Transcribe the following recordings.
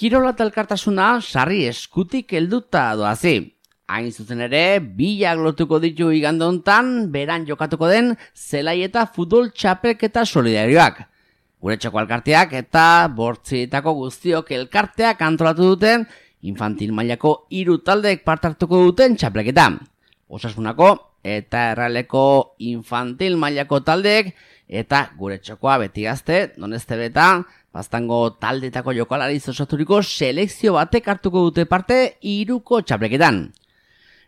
Kirola eta elkartasuna sarri eskutik helduta doazi. Hain zuzen ere, bilak lotuko ditu igande hontan, beran jokatuko den zelai eta futbol txapelketa solidarioak. Gure txoko elkarteak eta bortzietako guztiok elkarteak antolatu duten infantil mailako 3 taldeek parte hartuko duten txapelketa. Osasunako eta erraleko infantil mailako taldeek eta gure txokoa beti gazte, donezte beta, baztango taldetako jokalariz osaturiko selekzio batek hartuko dute parte 3ko txapelketan.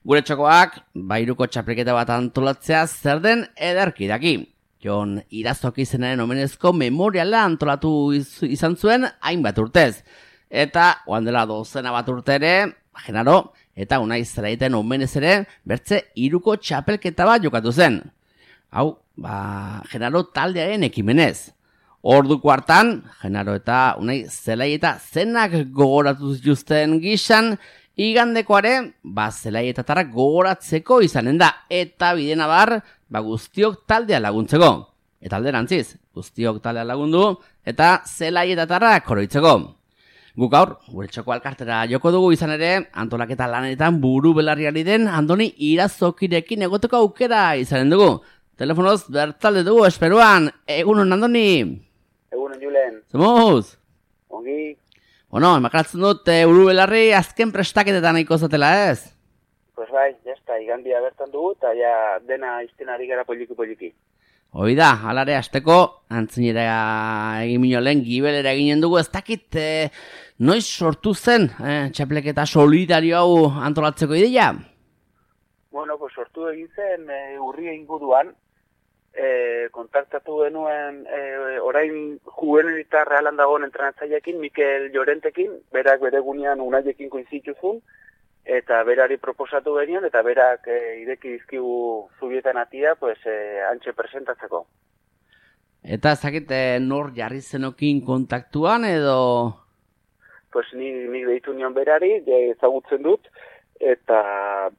Gure txokoak, 3ko txapelketa bat antolatzea zer den ederki daki. Jon Irazok izenaren omenezko memoriala antolatu izan zuen hainbat urtez. Eta, oan dela 12 bat urte ere, Genaro eta Unai Zelaiten omenez ere, bertze 3ko txapelketa bat jokatu zen. Hau, Genaro taldearen ekimenez. Orduko hartan, Genaro eta Unai Zelaieta zenak gogoratu zituzten gizan, igandekoare, Zelaietatarrak gogoratzeko izanen da, eta bidena bar, guztiok taldea laguntzeko. Eta alderantziz, guztiok taldea lagundu, eta Zelaietatarrak oroitzeko. Guk gaur, gure txoko alkartera joko dugu izan ere, antolaketa lanetan buru belarriari den Andoni Irazokirekin egoteko aukera izanen dugu. Telefonoz bertalde dugu, esperuan, egunon Andoni. Egunon Julen. Zemuz? Ongi. Bueno, emakaratzen dut buru belarri azken prestaketetan nahiko zatela ez? Pues bai, jazta, igandia bertan dugu, eta ja dena iztenari gara poliki. Hoi da, alare azteko, antzinera egin minolen, gibelera eginen dugu, ez dakit noiz sortu zen txapelketa solidario hau antolatzeko ideia? Bueno, pues sortu egin zen urria inguruan, kontaktatu genuen orain juvenilita realan dagoen entrenatzaileekin, Mikel Llorentekin, berak bere gunean Unaiekin koinzituzun, eta berari proposatu genion, eta berak ireki dizkigu zubietan atia, pues, antxe presentatzeko. Eta ezakit nor jarri zenokin kontaktuan edo? Pues nik deitu nion berari, ezagutzen dut, eta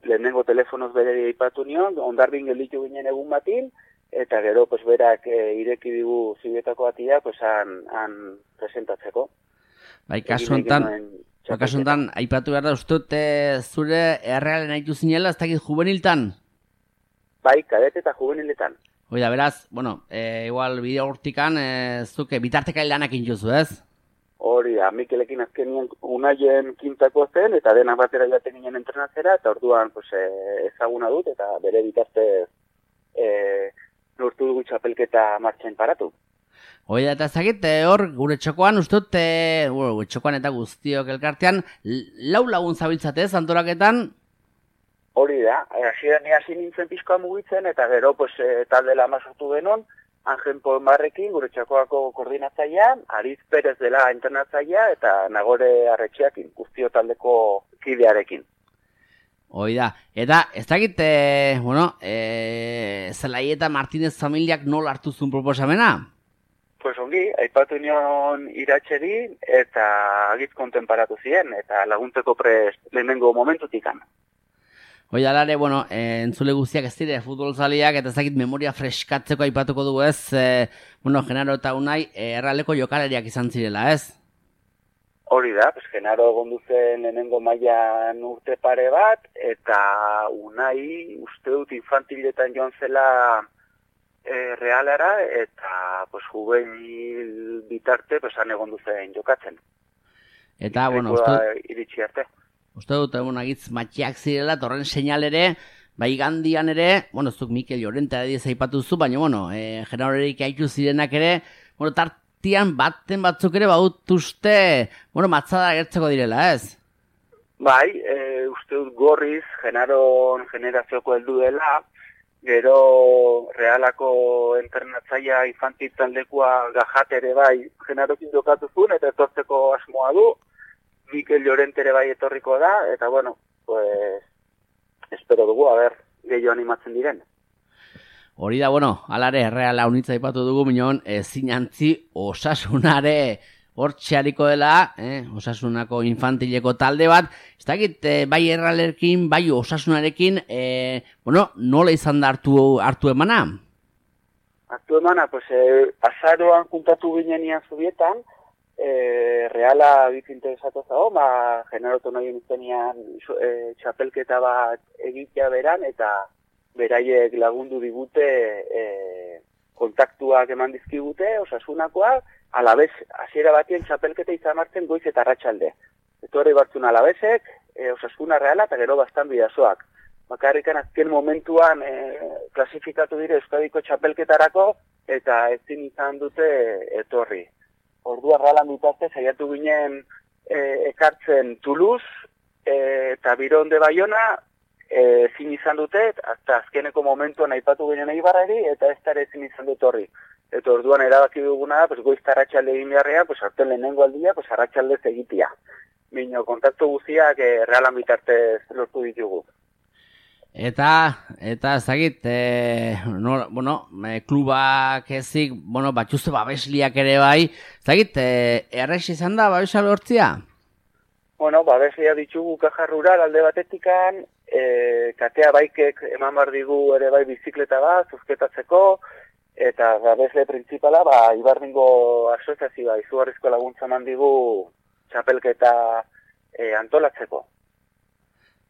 lehenengo telefonoz berari aipatu nion, ondarbin gelditu ginen egun batin, eta gero pues berak ireki digu zibietako atia pues han presentatzeko. Bai, kasu hontan aipatu behar da ustut zure errealen aitu zinela, ez dakit juveniltan? Bai, kadete eta juveniletan. Oida, beraz, bueno, igual bideo hortikan zuke bitartekail lanak intuzu, ez? Hori da, Mikelekin azkenien Unaien kintako zen, eta denak batera jaten ginen entrenatzera, eta orduan pues, ezaguna dut, eta bere bitarte lortu dugu txapelketa martxain paratu. Oida, eta ezagit, hor, gure txokoan, ustut, gure txokoan eta guztiok elkartean, 4 lagun zabiltzatez, antolaketan? Hori da, hasi nintzen pixkoa mugitzen, eta gero, pues, talde lama sortu denon, Angen Polmarrekin, gure txakoako koordinatzailea, Ariz Perez dela internatzailea, eta Nagore Arretxeakin, guztio taldeko kidearekin. Oida, eta ez dakit, Zelaieta Martínez familiak nola hartu zuen proposamena? Pues ongi, aipatu nion iratxeri eta agitz kontenparatu ziren, eta laguntzeko prest lehenengo momentutikan. Oida, alare, entzule guztiak ez dire futbolzaliak eta ez dakit memoria freskatzeko aipatuko dugu ez, Genaro eta Unai erraleko jokalariak izan zirela, ez? Hori da, Genaro egondu zen lehenengo mailan urte pare bat, eta Unai uste dut infantiletan joan zela realara, eta juvenil bitarte han egondu zen jokatzen. Eta, iritsi arte. Uste dut, agitz matxiak zirela, torren seinal ere, igandian ere, zuk Mikel Llorente adiz aipatu zu, baina, Genarorerik haitu zirenak ere, tartian baten batzuk ere bautuzte, matzada gertzeko direla, ez? Bai, uste dut gorriz, Genaron generazioko heldu dela, gero realako entrenatzaia infantil taldekoa Gajat ere bai Genarokin jokatu zuen, eta etortzeko asmoa du, Mikel Llorente ere bai etorriko da, eta espero dugu, gehiago animatzen diren. Hori da, alare, erreala unitza ipatu dugu, minon, zinantzi Osasunare hortxeariko dela, Osasunako infantileko talde bat, ez dakit, bai erralerkin, bai Osasunarekin, nola izan da hartu emana? Hartu emana, azaroan juntatu ginen ian zubietan, Reala bit interesatu zago, generotu nahi izenian txapelketa bat egitea beran, eta beraiek lagundu digute kontaktuak eman dizkigute, Osasunakoak, alabez, hasiera batien txapelketa izan martzen goiz eta arratsalde. Etorri bartzun alabezek, Osasuna Reala eta gero bastan bidazoak. Bakarrikan azken momentuan klasifikatu dire Euskadiko txapelketarako eta ezin izan dute etorri. Ordua Realan bitarte saiatu ginen ekartzen Toulouse eta Biron de Bayona ezin izan dute, hasta azkeneko momentuan aipatu ginen Eibarrari eta ez dara ezin izan dut horri. Eta orduan erabaki duguna da, goiz arratsalde egin beharrean, hartzen lehenengo aldia, arratsaldez egitea. Bino, kontaktu guztiak Realan bitartez lortu ditugu. Eta ezagit, klubak ezik, batxuze babesliak ere bai, ezagit, errex izan da babesa lortzia? Babeslia ditugu Caja Rural alde batetikan, katea baikek eman bar digu ere bai bizikleta bat, zuzketatzeko, eta babesle printzipala, Ibardingo asoziazioa izugarrizko laguntza eman digu txapelketa antolatzeko.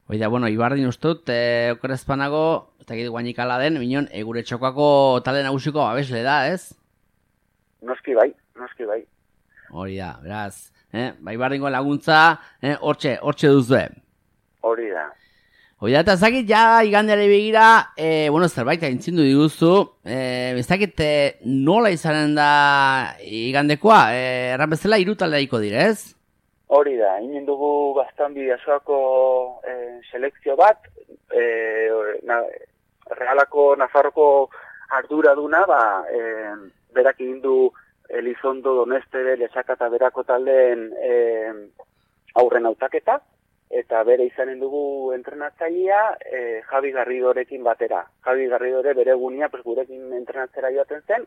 Oida, Ibardin ustut, okorezpanago, eta gire guainik ala den, minon, gure txokoako talde nagusiko babesle da, ez? Noski bai. Hori da, beraz, Ibardingo laguntza, hortxe duzue. Hori da. Oida, eta ezakit, ja igandeare begira, zerbait aintzindu diguzu, ezakit nola izanen da igandekoa, erran bezala 3 taldeaiko dire, ez? Hori da, inen dugu bastan bidazoako selekzio bat, Realako Nafarroko arduraduna, berak egin du Elizondo, Doneste, Lezaka eta Berako taldeen aurren hautaketa, eta bere izanen dugu entrenatzailea Javi Garridorekin batera. Javi Garridore bere egunia gurekin entrenatzera joaten zen,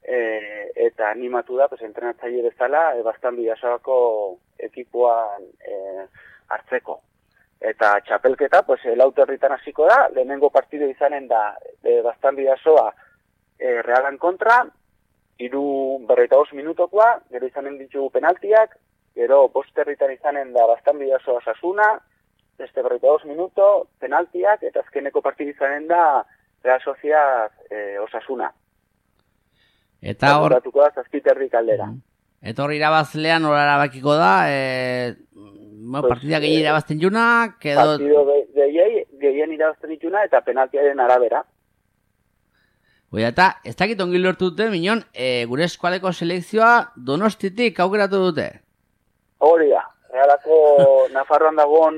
eta animatu da entrenatzaile bezala bastan bidazoako ekipoan hartzeko. Eta txapelketa, Lauterritan hasiko da, lehenengo partido izanen da bastan bidazoa Realan kontra, 45 minutokoa, gero izanen ditugu penaltiak, gero Bosterritan izanen da bastan bidazoa Osasuna, beste 42 minuto, penaltiak, eta azkeneko partido izanen da Real Sociedad Osasuna. Eta hor... Horatuko da, zazpiterrik aldera. Eta hor irabazlean hor erabakiko da, partida gehien irabazten junak, edo... Partido gehien irabazten dituna eta penaltiaren arabera. Oida, eta ez dakit ongi lortu dute, minon, gure eskualeko selekzioa Donostitik aukeratu dute. Hori da, Realako Nafarroan dagoen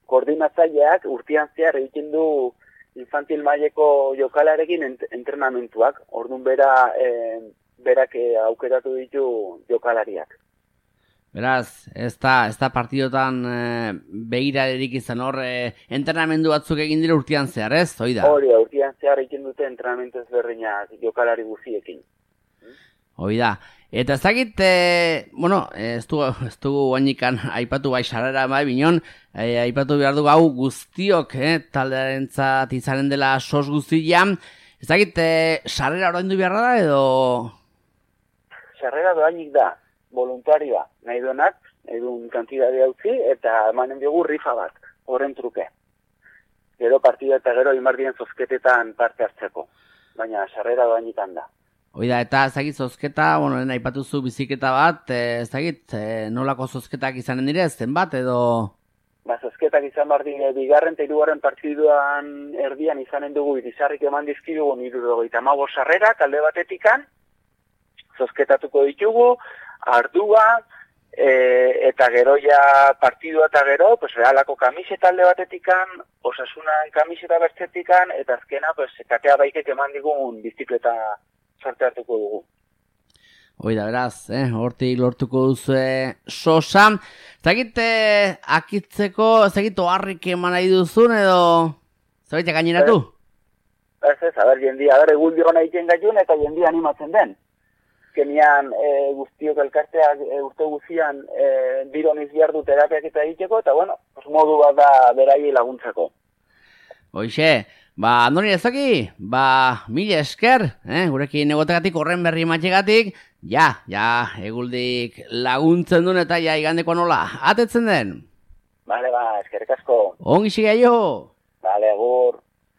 koordinatzaileak urtean zehar egiten du infantil maileko jokalarekin entrenamentuak. Orduan berak aukeratu ditu jokalariak. Beraz, ez da partidotan begirarerik izan hor, entrenamendu batzuk egin dira urtean zehar, ez? Hori da, urtean zehar egin dute entrenamentu ezberdinak jokalari guziekin. Hori da. Eta ez dakit, ez dugu guainikan aipatu bai sarrera bai binon, aipatu behar dugu hau guztiok, taldearentzat izanen dela sos guztian. Ez dakit, sarrera oraindu beharra da edo... Sarrera doainik da, voluntarioa, nahi duenak, nahi duen kantidadea utzi, eta emanen diogu rifa bat, horren truke. Gero partida eta gero imardien zozketetan parte hartzeko, baina sarrera doainikan da. Oida, eta ez dakit zozketa, aipatuzu biziketa bat, ez dakit, nolako zozketak izanen dire, zenbat edo... Zozketak izan behar dire, bigarren eta hirugarren partiduan erdian izanen dugu, irizarrik eman dizkidugu 75 sarrera, talde batetikan, zozketatuko ditugu, ardua, eta gero ja partidua eta gero, Realako kamiseta alde batetikan, Osasunan kamiseta bertzetikan, eta azkena, katea baikek eman digun bizikleta sorte hartuko dugu. Oida, beraz, hortik lortuko duzu sosa. Zagit, akitzeko, zagit, oharrik eman nahi duzun edo zabaitek gaineratu? Ez, jendia, egun diona egiten gaiun eta jendia animatzen den. Azkenean guztiok elkarteak urte guztian bironiz behar du terapiak eta egiteko, eta modu bat da berai laguntzako. Hoxe, andoni ezaki, mila esker, gurekin egotekatik horren berri matxegatik, Ja, eguldik laguntzen duen eta ja igandeko nola, atetzen den? Bale, eskerrik asko. Ongi sigaio!